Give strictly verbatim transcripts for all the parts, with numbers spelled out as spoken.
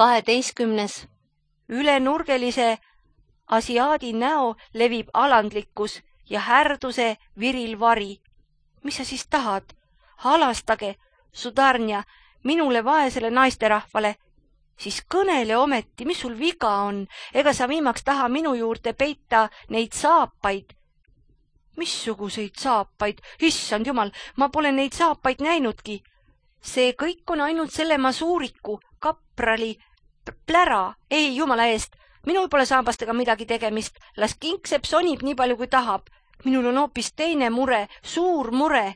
kaheteistkümnes. Üle nurgelise asiaadi näo levib alandlikkus ja härduse viril vari. Mis sa siis tahad? Halastage, sudarnja, minule vaesele naisterahvale. Siis kõnele ometi, mis sul viga on, ega sa viimaks taha minu juurde peita neid saapaid. Missuguseid saapaid? Issand jumal, ma pole neid saapaid näinudki. See kõik on ainult selle masuuriku, kaprali, plära, ei jumala eest. Minul pole saabastega midagi tegemist, las kinksepp sonib nii palju kui tahab. Minul on hoopis teine mure, suur mure.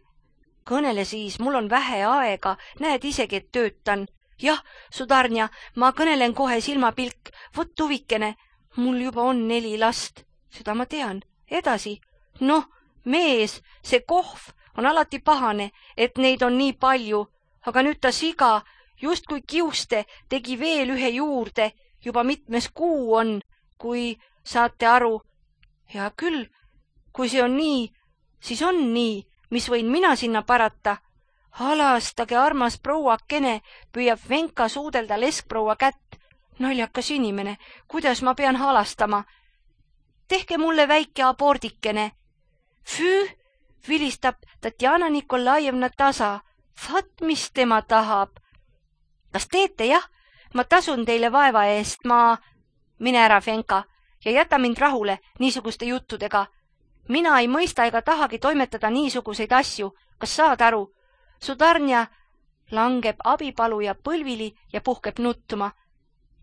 Kõnele siis, mul on vähe aega, näed isegi, et töötan. Jah, sudarnja, ma kõnelen kohe silmapilk, võt tuvikene, mul juba on neli last. Seda ma tean. Edasi. Noh, mees, see kohv on alati pahane, et neid on nii palju, aga nüüd ta siga, just kui kiuste, tegi veel ühe juurde, juba mitmes kuu on, kui saate aru. Hea küll, kui see on nii, siis on nii, mis võin mina sinna parata. Halastage, armas prouakene, püüab Venka suudelda leskproua kätt. Naljakas inimene, kuidas ma pean halastama? Tehke mulle väike abordikene. Füü, vilistab Tatjana Nikolajevna tasa. Vat, mis tema tahab. Kas teete, jah? Ma tasun teile vaeva eest, ma... Mine ära, Venka, ja jäta mind rahule niisuguste juttudega. Mina ei mõista ega tahagi toimetada niisuguseid asju. Kas saad aru? Sudarnja langeb abipaluja põlvili ja puhkeb nuttuma.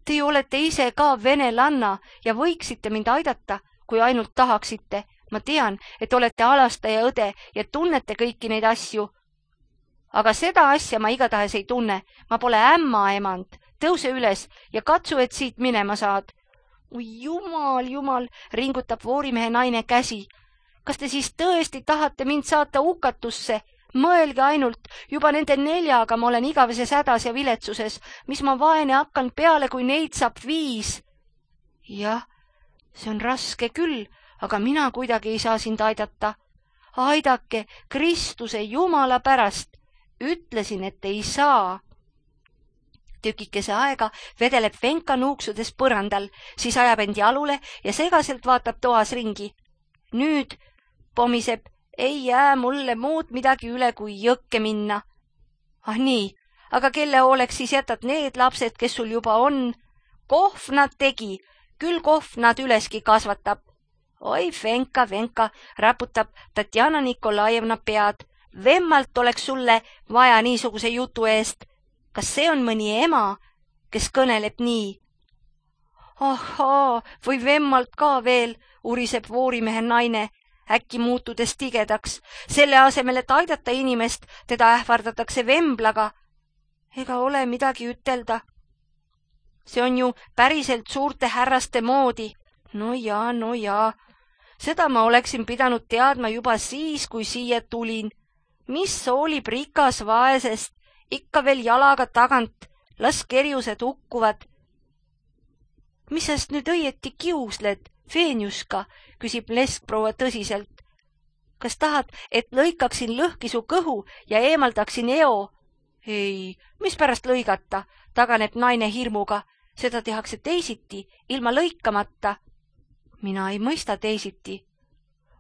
Te olete ise ka venelanna ja võiksite mind aidata, kui ainult tahaksite. Ma tean, et olete alastaja õde ja tunnete kõiki neid asju. Aga seda asja ma igatahes ei tunne. Ma pole ämma emand. Tõuse üles ja katsu, et siit minema saad. Ui, jumal, jumal, ringutab voorimehe naine käsi. Kas te siis tõesti tahate mind saata hukatusse? Mõelge ainult, juba nende neljaga ma olen igaveses hädas ja viletsuses, mis ma vaene hakkan peale, kui neid saab viis. Jah, see on raske küll, aga mina kuidagi ei saa sind aidata. Aidake Kristuse Jumala pärast. Ütlesin, et ei saa. Tükikese aega vedeleb Venka nuuksudes põrandal, siis ajab end jalule ja segaselt vaatab toas ringi. Nüüd pomiseb, ei jää mulle muud midagi üle kui jõkke minna. Ah nii, aga kelle hooleks siis jätad need lapsed, kes sul juba on? Kohv nad tegi, küll kohv nad üleski kasvatab. Oi, Venka, Venka, raputab Tatjana Nikolajevna pead. Vemmalt oleks sulle vaja niisuguse jutu eest. Kas see on mõni ema, kes kõneleb nii? Ahaa, või vemmalt ka veel, uriseb voorimehe naine, äkki muutudes tigedaks. Selle asemel, et aidata inimest, teda ähvardatakse vemblaga. Ega ole midagi ütelda. See on ju päriselt suurte härraste moodi. No jaa, no jaa. Seda ma oleksin pidanud teadma juba siis, kui siia tulin. Mis hoolib rikas vaesest, ikka veel jalaga tagant, las kerjused hukkuvad. Mis sest nüüd õieti kiusled, Veenjuska, küsib leskproua tõsiselt. Kas tahad, et lõikaksin lõhki su kõhu ja eemaldaksin eo? Ei, mis pärast lõigata, taganeb naine hirmuga. Seda tehakse teisiti, ilma lõikamata. Mina ei mõista teisiti.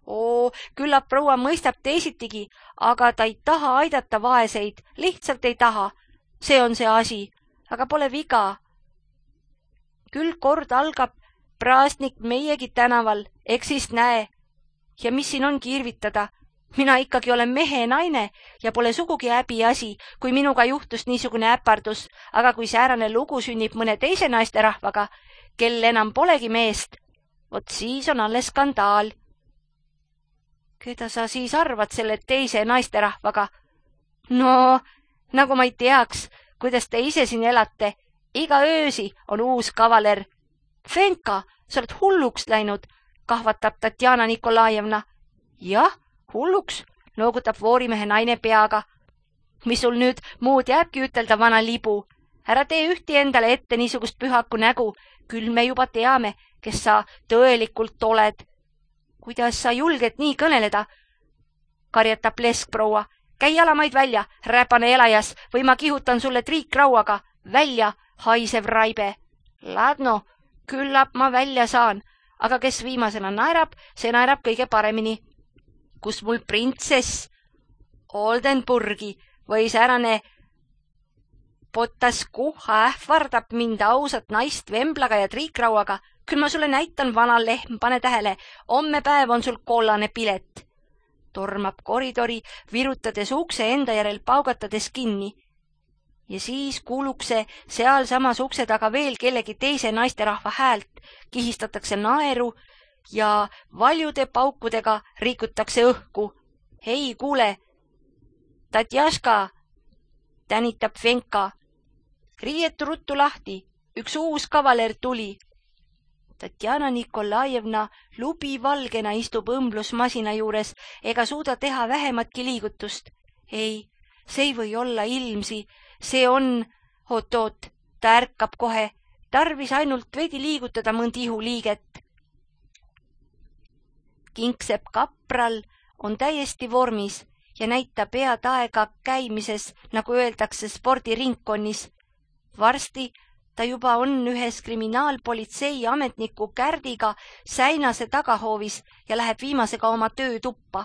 Oo, küllap proua mõistab teisitigi, aga ta ei taha aidata vaeseid, lihtsalt ei taha. See on see asi, aga pole viga. Küll kord algab praastnik meiegi tänaval, eks siis näe. Ja mis siin on kirvitada? Mina ikkagi olen mehe naine ja pole sugugi häbi asi, kui minuga juhtus niisugune äpardus, aga kui säärane lugu sünnib mõne teise naisterahvaga, kel enam polegi meest, vot siis on alles skandaal. Keda sa siis arvad selle teise naisterahvaga? No, nagu ma ei teaks, kuidas te ise siin elate. Iga öösi on uus kavaler. Venka, sa oled hulluks läinud, kahvatab Tatjana Nikolajevna. Jah, hulluks, noogutab voorimehe naine peaga. Mis sul nüüd muud jääbki ütelda, vana libu? Ära tee ühti endale ette niisugust pühaku nägu, küll me juba teame, kes sa tõelikult oled. Kuidas sa julged nii kõneleda? Karjatab leskproua. Käi jalamaid välja, räpane elajas, või ma kihutan sulle triikrauaga. Välja, haisev raibe. Ladno, küllap ma välja saan, aga kes viimasena naerab, see naerab kõige paremini. Kus mul printsess Oldenburgi või säärane Potas kuha ähvardab mind ausat naist vemblaga ja triikrauaga. Küll ma sulle näitan, vana lehm, pane tähele, homme päev on sul kollane pilet. Tormab koridori, virutades ukse enda järel paugatades kinni. Ja siis kuulukse seal samas ukse taga veel kellegi teise naisterahva häält, kihistatakse naeru ja valjude paukudega rikutakse õhku. Hei, kuule, Tatjaška, tänitab Venka. Riietu ruttu lahti, üks uus kavaler tuli. Tatjana Nikolajevna lubivalgena istub õmblusmasina juures ega suuda teha vähematki liigutust. Ei, see ei või olla ilmsi, see on, oot-oot, ta ärkab kohe, tarvis ainult veidi liigutada mõnd ihuliiget. Kingsepp kapral on täiesti vormis ja näitab head aega käimises, nagu öeldakse spordiringkonnis. Varsti ta juba on ühes kriminaalpolitsei ametniku Kärdiga säinase tagahoovis ja läheb viimasega oma töötuppa.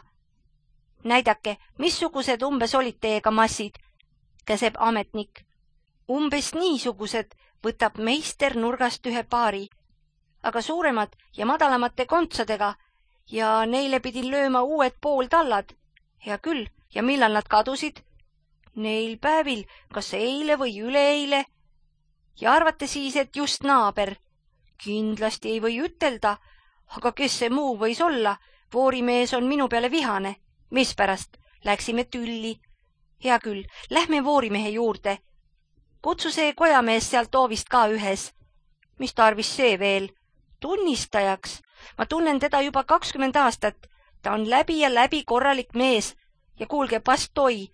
Näidake, missugused umbes olid teiega massid, käseb ametnik. Umbes niisugused võtab meister nurgast ühe paari, aga suuremad ja madalamate kontsadega ja neile pidin lööma uued pooltallad. Hea küll, ja millal nad kadusid? Neil päevil, kas eile või üleeile? Ja arvate siis, et just naaber? Kindlasti ei või ütelda, aga kes see muu võis olla? Voorimees on minu peale vihane. Mispärast? Läksime tülli. Hea küll, lähme voorimehe juurde. Kutsu see kojamees sealt oovist ka ühes. Mis tarvis see veel? Tunnistajaks. Ma tunnen teda juba kakskümmend aastat. Ta on läbi ja läbi korralik mees. Ja kuulge, pastoi.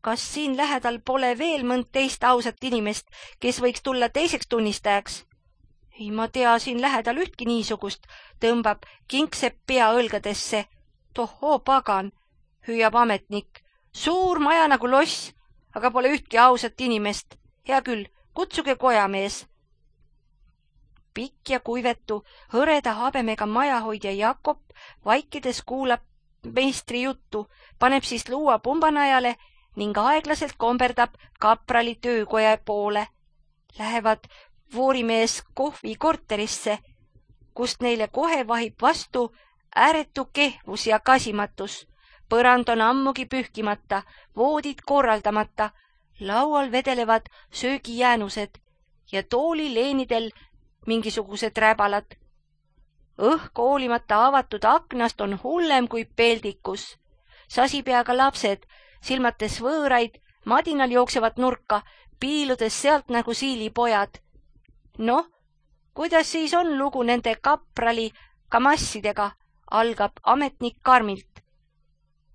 Kas siin lähedal pole veel mõnd teist ausat inimest, kes võiks tulla teiseks tunnistajaks? Ei ma tea siin lähedal ühtki niisugust, tõmbab Kingsepp pea õlgadesse. Tohoo pagan, hüüab ametnik. Suur maja nagu loss, aga pole ühtki ausat inimest. Hea küll, kutsuge kojamees. Pikk ja kuivetu, hõreda habemega majahoidja Jakob vaikides kuulab meistri juttu, paneb siis luua pumbanajale ning aeglaselt komberdab kaprali töökoja poole. Lähevad voorimees kohvi korterisse, kust neile kohe vahib vastu ääretu kehvus ja kasimatus. Põrand on ammugi pühkimata, voodid korraldamata, laual vedelevad söögijäänused ja toolileenidel mingisugused räbalad. Õhk hoolimata avatud aknast on hullem kui peldikus. Sasipeaga lapsed, silmates võõraid, madinal jooksevad nurka, piiludes sealt nagu siilipojad. Noh, kuidas siis on lugu nende kaprali kamassidega, algab ametnik karmilt.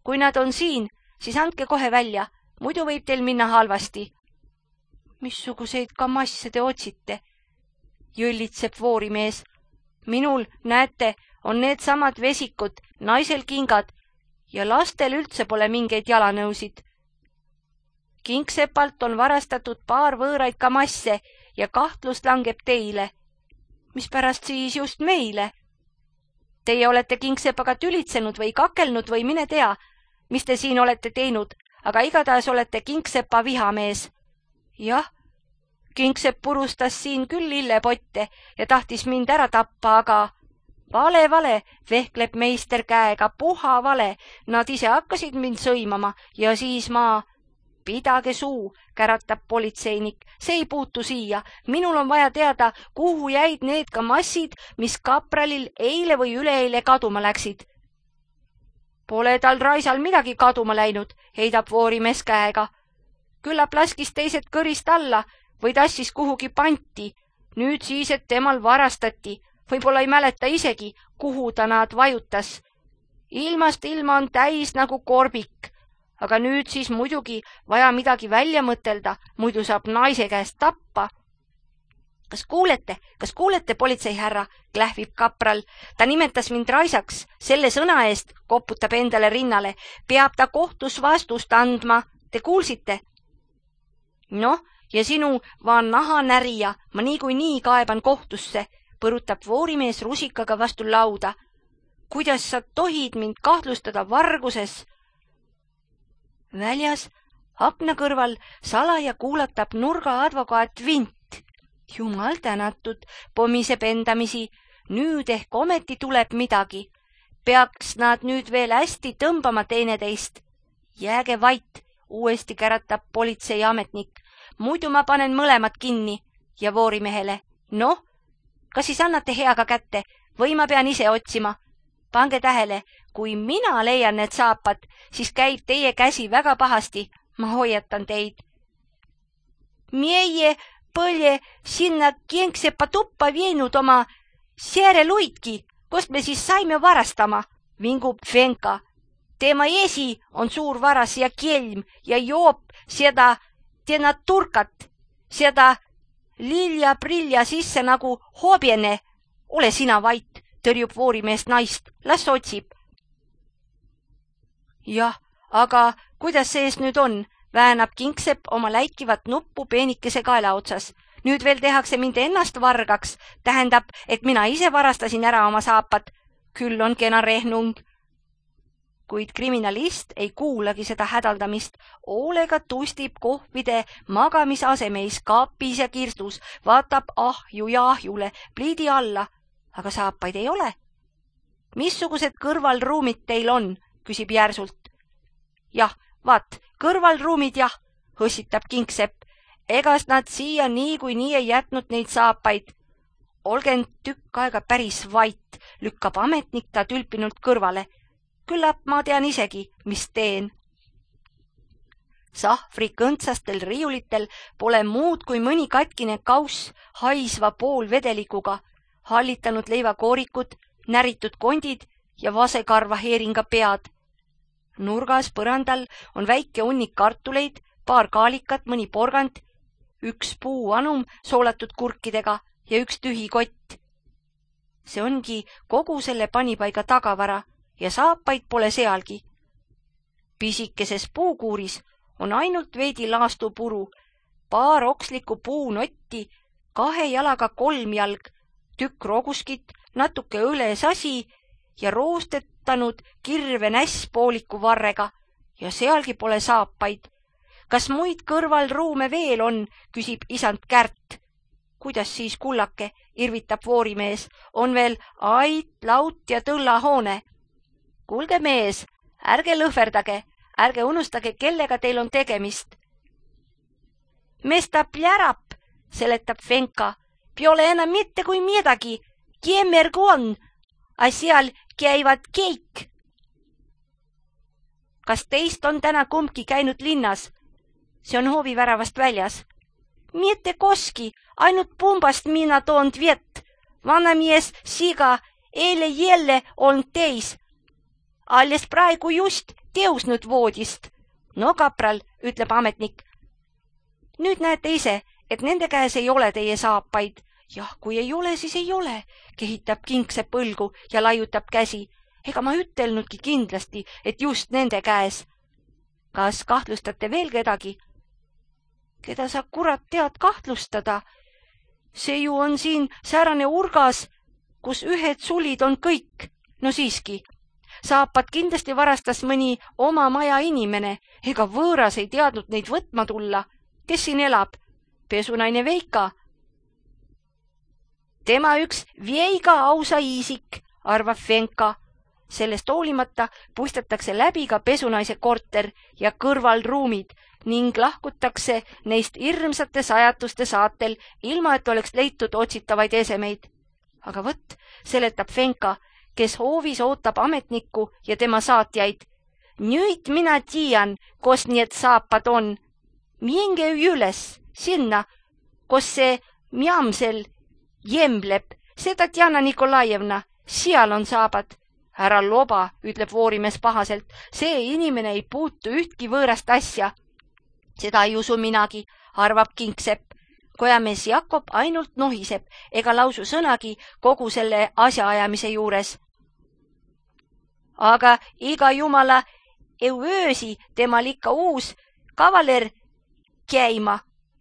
Kui nad on siin, siis andke kohe välja, muidu võib teil minna halvasti. Missuguseid kamasse te otsite? Jõllitseb voorimees. Minul, näete, on need samad vesikud, naisel kingad ja lastel üldse pole mingeid jalanõusid. Kingsepalt on varastatud paar võõraid kamasse ja kahtlus langeb teile. Mispärast siis just meile? Teie olete Kingsepaga tülitsenud või kakelnud või mine tea, mis te siin olete teinud, aga igatahes olete Kingsepa vihamees. Jah, Kingsepp purustas siin küll lillepotte ja tahtis mind ära tappa, aga vale, vale, vehkleb meister käega, puha vale. Nad ise hakkasid mind sõimama ja siis ma... Pidage suu, käratab politseinik, see ei puutu siia. Minul on vaja teada, kuhu jäid need kamassid, mis kapralil eile või üleeile kaduma läksid. Pole tal raisal midagi kaduma läinud, heidab voorimees käega. Küllap laskis teised kõrist alla või tassis kuhugi panti. Nüüd siis, et temal varastati. Võib-olla ei mäleta isegi, kuhu ta nad vajutas. Ilmast ilma on täis nagu korbik. Aga nüüd siis muidugi vaja midagi välja mõtelda, muidu saab naise käest tappa. Kas kuulete, kas kuulete, politseihärra, klähvib kapral. Ta nimetas mind raisaks, selle sõna eest, koputab endale rinnale. Peab ta kohtus vastust andma. Te kuulsite? Noh, ja sinu vaan nahanärija ma niikuinii kaeban kohtusse, põrutab voorimees rusikaga vastu lauda. Kuidas sa tohid mind kahtlustada varguses? Väljas akna kõrval salaja kuulatab nurga advokaat Vint. Jumal tänatud, pomiseb endamisi, nüüd ehk ometi tuleb midagi. Peaks nad nüüd veel hästi tõmbama teineteist. Jääge vait, uuesti käratab politseiametnik. Muidu ma panen mõlemad kinni ja voorimehele. Noh, kas siis annate heaga kätte või ma pean ise otsima? Pange tähele, kui mina leian need saapad, siis käib teie käsi väga pahasti. Ma hoiatan teid. Meie põlje sinna Kingsepa tuppa viinud oma sääreluidki, kust me siis saime varastama, vingub Fenka. Tema esi on suur varas ja kelm ja joob seda tena turkat, seda lilja-prilja sisse nagu hobjene. Ole sina vait, tõrjub voorimeest naist, las otsib. Jah, aga kuidas sees nüüd on? Väänab Kingsepp oma läikivat nuppu peenikese kaela otsas. Nüüd veel tehakse mind ennast vargaks. Tähendab, et mina ise varastasin ära oma saapad. Küll on kena rehnung. Kuid kriminalist ei kuulagi seda hädaldamist. Hoolega tustib kohvide magamisasemeis kaapis ja kirstus. Vaatab ahju ja ahjule, pliidi alla. Aga saapaid ei ole. Missugused kõrvalruumid teil on? Küsib järsult. Jah, vaat, kõrvalruumid jah, hõssitab Kingsepp. Egas nad siia nii kui nii ei jätnud neid saapaid. Olgen tükk aega päris vait, lükkab ametnik ta tülpinult kõrvale. Küllap ma tean isegi, mis teen. Sahvri kõntsastel riiulitel pole muud kui mõni katkine kauss haisva poolvedelikuga, hallitanud leivakoorikud, näritud kondid ja vasekarva heeringa pead. Nurgas põrandal on väike hunnik kartuleid, paar kaalikat, mõni porgand, üks puu anum soolatud kurkidega ja üks tühi kott. See ongi kogu selle panipaiga tagavara ja saapaid pole sealgi. Pisikeses puukuuris on ainult veidi laastupuru, paar okslikku puunotti, kahe jalaga kolmjalg, tükk roguskit, natuke õlesasi ja roostetanud kirve näss pooliku varrega ja sealgi pole saapaid. Kas muid kõrvalruume veel on, küsib isand Kärt. Kuidas siis, kullake, irvitab voorimees, on veel ait, laut ja tõllahoone. Kuulge mees, ärge lõhverdage, ärge unustage, kellega teil on tegemist. Mesta plärab, seletab Fenka, piole enam mitte kui midagi, kiemmergu on, a seal käivad keik. Kas teist on täna kumbki käinud linnas? See on hooviväravast väljas. Mitte koski, ainult pumbast mina toond vett. Vanamies siga eile jälle on teis. Alles praegu just teusnud voodist. No kapral, ütleb ametnik. Nüüd näete ise, et nende käes ei ole teie saapaid. Jah, kui ei ole, siis ei ole, kehitab Kingsepp õlgu ja laiutab käsi. Ega ma ütelnudki kindlasti, et just nende käes. Kas kahtlustate veel kedagi? Keda sa kurat tead kahtlustada? See ju on siin säärane urgas, kus ühed sulid on kõik. No siiski, saapad kindlasti varastas mõni oma maja inimene, ega võõras ei teadnud neid võtma tulla. Kes siin elab? Pesunaine Veika. Tema üks Veiga ausa isik, arvab Fenka. Sellest hoolimata puistatakse läbi ka pesunaise korter ja kõrvalruumid ning lahkutakse neist hirmsate sajatuste saatel, ilma et oleks leitud otsitavaid esemeid. Aga võtt, seletab Fenka, kes hoovis ootab ametnikku ja tema saatjaid. Nüüd mina tiian, kos need saapad on. Minge üles, sinna, kos see mjamsel jembleb, seda Tjana Nikolajevna, seal on saabad. Ära loba, ütleb voorimees pahaselt, see inimene ei puutu ühtki võõrast asja. Seda ei usu minagi, arvab Kingsepp. Kojamees Jakob ainult nohiseb ega lausu sõnagi kogu selle asjaajamise juures. Aga iga jumala euöösi temal ikka uus kavaler käima,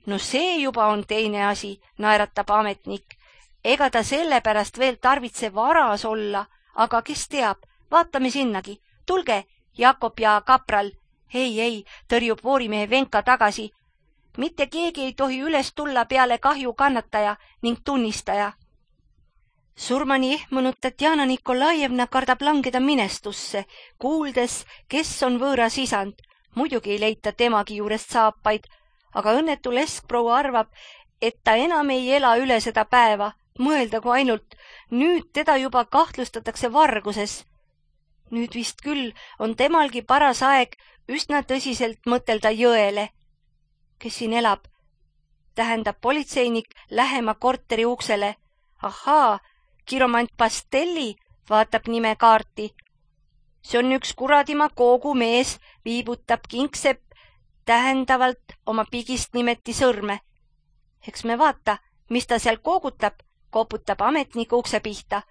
No see juba on teine asi, naeratab ametnik. Ega ta sellepärast veel tarvitse varas olla, aga kes teab, vaatame sinnagi. Tulge, Jakob ja kapral. Ei, ei, tõrjub voorimehe Venka tagasi. Mitte keegi ei tohi üles tulla peale kahju kannataja ning tunnistaja. Surmani ehmunud Tatjana Nikolajevna kardab langeda minestusse, kuuldes, kes on võõras isand. Muidugi ei leita temagi juurest saapaid, aga õnnetu leskproua arvab, et ta enam ei ela üle seda päeva. Mõeldagu ainult, nüüd teda juba kahtlustatakse varguses. Nüüd vist küll on temalgi paras aeg üsna tõsiselt mõtelda Jõele. Kes siin elab? Tähendab politseinik lähema korteri uksele. Ahaa, kiromant Pastelli, vaatab nime kaarti. See on üks kuradima koogu mees, viibutab Kingsepp tähendavalt oma pigist nimeti sõrme. Eks me vaata, mis ta seal koogutab, koputab ametnik ukse pihta.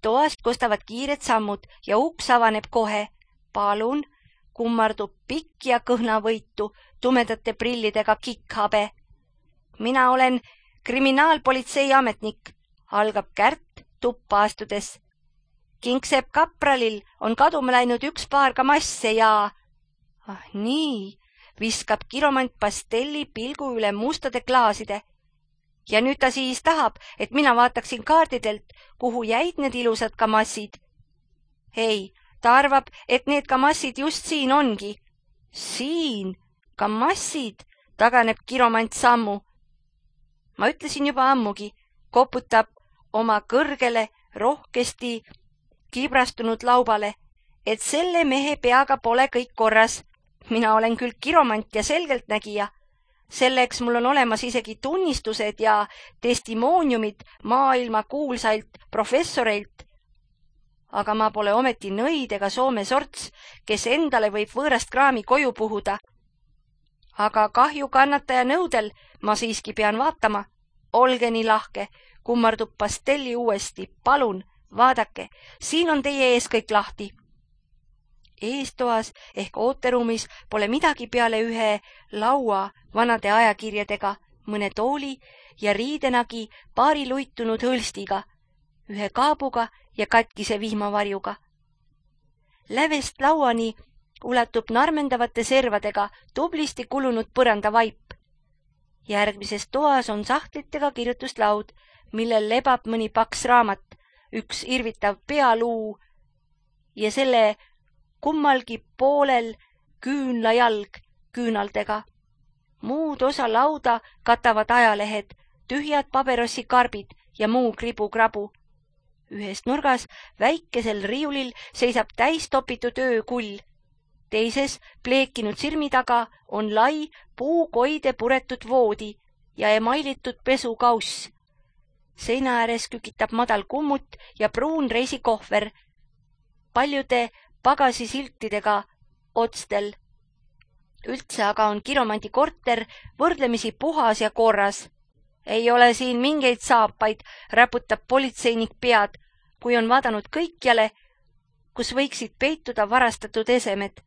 Toast kostavad kiired sammud ja uks avaneb kohe. Palun, kummardub pikk ja kõhnavõitu tumedate prillidega kikkhabe. Mina olen kriminaalpolitsei ametnik, algab Kärt tuppa astudes. Kingsepp kapralil on kaduma läinud üks paar kamasse ja... Ah nii, viskab kiromant Pastelli pilgu üle mustade klaaside. Ja nüüd ta siis tahab, et mina vaataksin kaardidelt, kuhu jäid need ilusad kamassid. Ei, ta arvab, et need kamassid just siin ongi. Siin, kamassid, taganeb kiromant sammu. Ma ütlesin juba ammugi, koputab oma kõrgele, rohkesti kibrastunud laubale, et selle mehe peaga pole kõik korras. Mina olen küll kiromant ja selgeltnägija. Selleks mul on olemas isegi tunnistused ja testimooniumid maailma kuulsailt professoreilt. Aga ma pole ometi nõid ega Soome sorts, kes endale võib võõrast kraami koju puhuda. Aga kahju kannataja nõudel ma siiski pean vaatama. Olge nii lahke, kummardub Pastelli uuesti. Palun, vaadake, siin on teie ees kõik lahti. Eestoas ehk ooteruumis pole midagi peale ühe laua vanade ajakirjadega, mõne tooli ja riidenagi paari luitunud hõlstiga, ühe kaabuga ja katkise vihmavarjuga. Lävest lauani ulatub narmendavate servadega tublisti kulunud põrandavaip. Järgmises toas on sahtlitega kirjutuslaud, millel lebab mõni paks raamat, üks irvitav pealuu ja selle kummalgi poolel küünlajalg küünaldega. Muud osa lauda katavad ajalehed, tühjad paberosikarbid ja muu kribu-krabu. Ühes nurgas väikesel riiulil seisab täis topitud öökull. Teises pleekinud sirmi taga on lai puukoide puretud voodi ja emailitud pesukauss. Seina ääres kükitab madal kummut ja pruun reisikohver. Paljude pagasisiltidega otstel. Üldse aga on kiromandi korter võrdlemisi puhas ja korras. Ei ole siin mingeid saapaid, räputab politseinik pead, kui on vaadanud kõikjale, kus võiksid peituda varastatud esemed.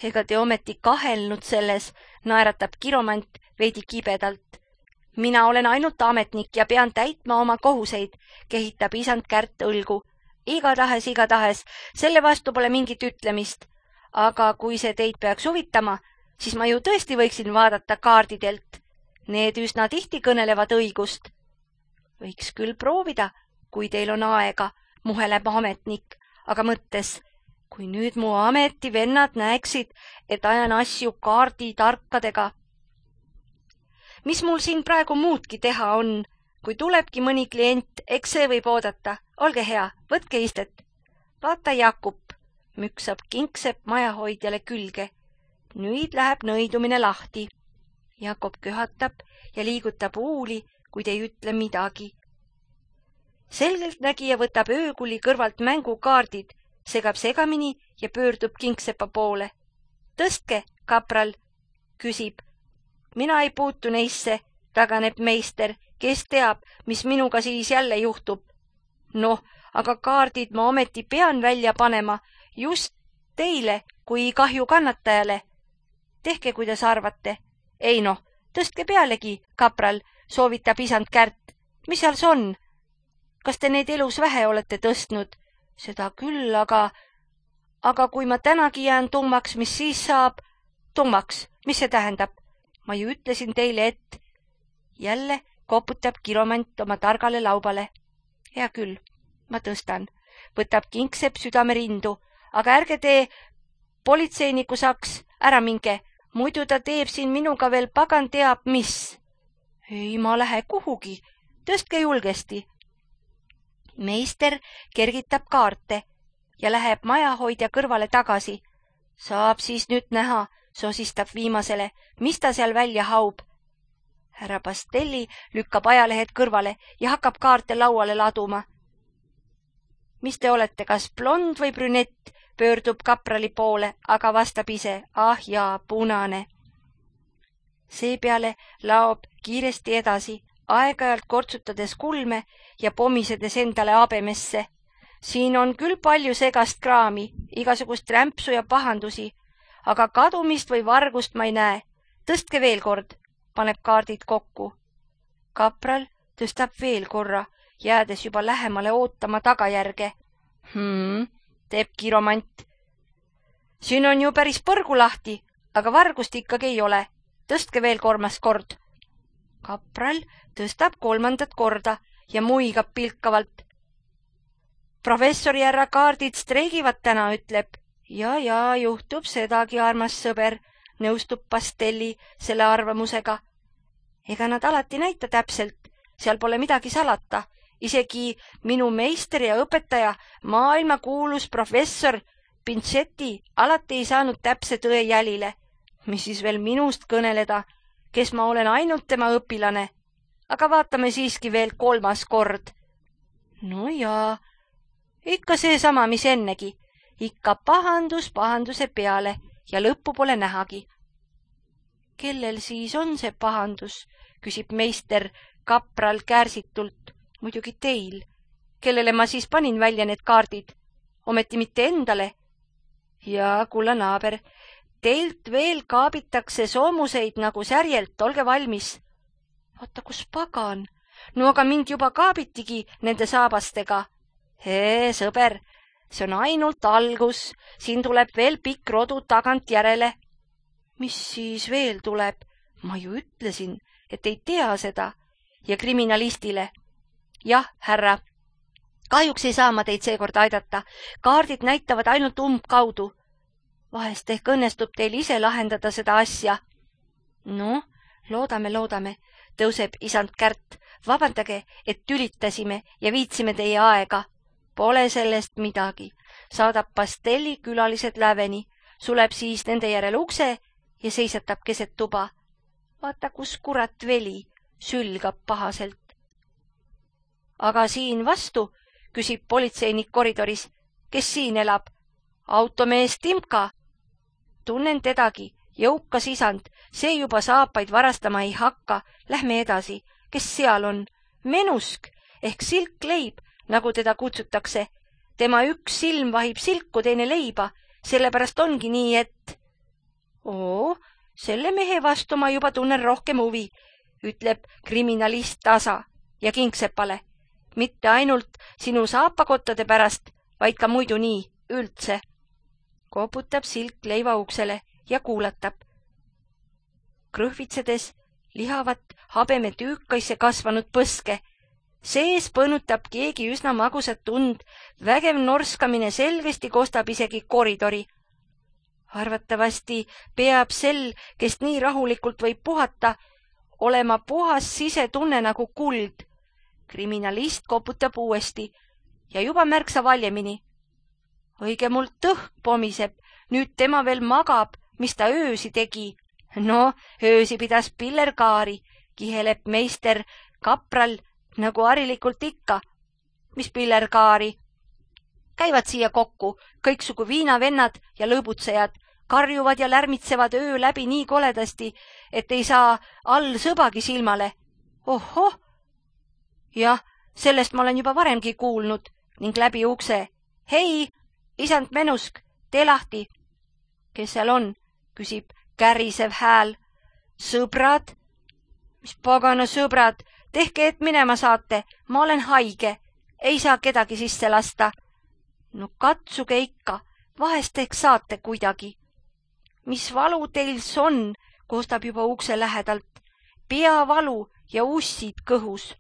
Ega te ometi kahelnud selles, naeratab kiromant veidi kibedalt. Mina olen ainult ametnik ja pean täitma oma kohuseid, kehitab isand Kärt õlgu. Igatahes, igatahes, selle vastu pole mingit ütlemist. Aga kui see teid peaks huvitama, siis ma ju tõesti võiksin vaadata kaardidelt. Need üsna tihti kõnelevad õigust. Võiks küll proovida, kui teil on aega, muheleb ametnik, aga mõttes, kui nüüd mu ametivennad näeksid, et ajan asju kaarditarkadega. Mis mul siin praegu muudki teha on? Kui tulebki mõni klient, eks see võib oodata. Olge hea, võtke istet. Vaata, Jakub, müksab Kingsepp majahoidjale külge. Nüüd läheb nõidumine lahti. Jakob köhatab ja liigutab uuli, kuid ei ütle midagi. Selgeltnägija võtab öökuli kõrvalt mängukaardid, segab segamini ja pöördub Kingseppa poole. Tõstke, kapral, küsib. Mina ei puutu neisse, taganeb meister, kes teab, mis minuga siis jälle juhtub. Noh, aga kaardid ma ometi pean välja panema just teile kui kahju kannatajale. Tehke, kuidas arvate. Ei noh, Tõstke pealegi, kapral, soovitab isand Kärt. Mis seal see on? Kas te neid elus vähe olete tõstnud? Seda küll, aga... Aga kui ma tänagi jään tummaks, mis siis saab? Tummaks, mis see tähendab? Ma ju ütlesin teile, et... Jälle koputab kiromant oma targale laubale. Hea küll, ma tõstan. Võtab Kingsepp südame rindu, aga ärge tee politseiniku saks, ära minge, muidu ta teeb siin minuga veel pagan teab mis. Ei, ma lähe kuhugi, tõstke julgesti. Meister kergitab kaarte ja läheb majahoidja kõrvale tagasi. Saab siis nüüd näha, sosistab viimasele, mis ta seal välja haub. Härra Pastelli lükkab ajalehed kõrvale ja hakkab kaarte lauale laduma. Mis te olete, kas blond või brünett, pöördub kaprali poole, aga vastab ise, ah jaa, punane. Seepeale laob kiiresti edasi, aeg-ajalt kortsutades kulme ja pomisedes endale abemesse. Siin on küll palju segast kraami, igasugust rämpsu ja pahandusi, aga kadumist või vargust ma ei näe. Tõstke veel kord, paneb kaardid kokku. Kapral tõstab veel korra, jäädes juba lähemale ootama tagajärge. Hmm, teeb kiromant. Siin on ju päris põrgu lahti, aga vargust ikkagi ei ole. Tõstke veel kolmas kord. Kapral tõstab kolmandat korda ja muigab pilkavalt. Professori härra kaardid streigivad täna, ütleb. Ja, ja, juhtub sedagi, armas sõber, nõustub Pastelli selle arvamusega. Ega nad alati näita täpselt, seal pole midagi salata. Isegi minu meister ja õpetaja, maailma kuulus professor Pincetti alati ei saanud täpse tõe jälile. Mis siis veel minust kõneleda, kes ma olen ainult tema õpilane. Aga vaatame siiski veel kolmas kord. No jaa, ikka seesama, mis ennegi. Ikka pahandus pahanduse peale ja lõppu pole nähagi. Kellel siis on see pahandus, küsib meister kapral kärsitult. Muidugi teil, kellele ma siis panin välja need kaardid, ometi mitte endale. Ja, kulla naaber, teilt veel kaabitakse soomuseid nagu särjelt, olge valmis. Vaata, kus pagan, no aga mind juba kaabitigi nende saabastega. Hee, sõber, see on ainult algus, siin tuleb veel pikk rodu tagant järele. Mis siis veel tuleb? Ma ju ütlesin, et ei tea seda. Ja kriminalistile. Jah, härra, kahjuks ei saa ma teid seekord aidata. Kaardid näitavad ainult umbkaudu. Vahest ehk õnnestub teil ise lahendada seda asja. No, loodame, loodame, tõuseb isand Kärt. Vabandage, et tülitasime ja viitsime teie aega. Pole sellest midagi. Saadab Pastelli külalised läveni, suleb siis nende järel ukse ja seisatab keset tuba. Vaata, kus kurat veli, sülgab pahaselt. Aga siin vastu, küsib politseinik koridoris, kes siin elab? Automees Timka. Tunnen tedagi, jõukas isand, see juba saapaid varastama ei hakka. Lähme edasi, kes seal on? Menusk ehk silkleib, nagu teda kutsutakse. Tema üks silm vahib silku, teine leiba, sellepärast ongi nii, et... Oo, selle mehe vastu ma juba tunnen rohkem huvi, ütleb kriminalist tasa ja Kingsepale. Mitte ainult sinu saapakottade pärast, vaid ka muidu nii, üldse. Koputab silk leiva uksele ja kuulatab. Krõhvitsedes lihavat habeme tüükkaisse kasvanud põske. Sees põnutab keegi üsna magusat tund, vägev norskamine selgesti kostab isegi koridori. Arvatavasti peab sel, kes nii rahulikult võib puhata, olema puhas sisetunne nagu kuld. Kriminalist koputab uuesti ja juba märksa valjemini. Õige mul tõhk pomiseb, nüüd tema veel magab, mis ta öösi tegi. No, öösi pidas pillerkaari, kiheleb meister kapral nagu harilikult ikka. Mis pillerkaari? Käivad siia kokku kõiksugu viinavennad ja lõbutsejad, karjuvad ja lärmitsevad öö läbi nii koledasti, et ei saa all sõbagi silmale. Ohoh! Jah, sellest ma olen juba varemgi kuulnud ning läbi ukse. Hei, isand Menusk, tee lahti. Kes seal on? Küsib kärisev hääl. Sõbrad, mis pagana sõbrad, tehke, et minema saate, ma olen haige, ei saa kedagi sisse lasta. No katsuge ikka, vahest ehk saate kuidagi. Mis valu teils on, kostab juba ukse lähedalt, peavalu ja ussid kõhus.